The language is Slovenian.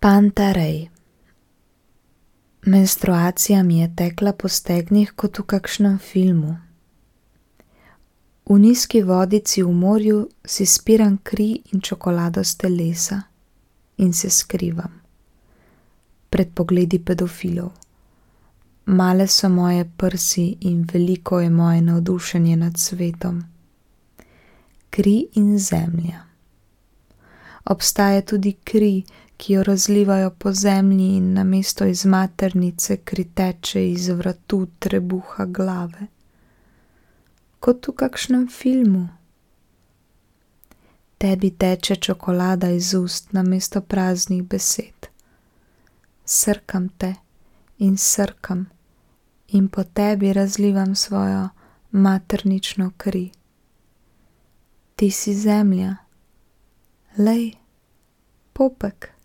Pantarej. Menstruacija mi je tekla po stegnih kot v kakšnem filmu. V nizki vodici v morju si spiram kri in čokolado s telesa in se skrivam pred pogledi pedofilov. Male so moje prsi in veliko je moje navdušenje nad svetom. Kri in zemlja. Obstaja tudi kri, ki jo razlivajo po zemlji in namesto iz maternice kri teče iz vratu, trebuha, glave. Kot v kakšnem filmu. Tebi teče čokolada iz ust namesto praznih besed. Srkam te in srkam in po tebi razlivam svojo maternično kri. Ti si zemlja. Lej, popek.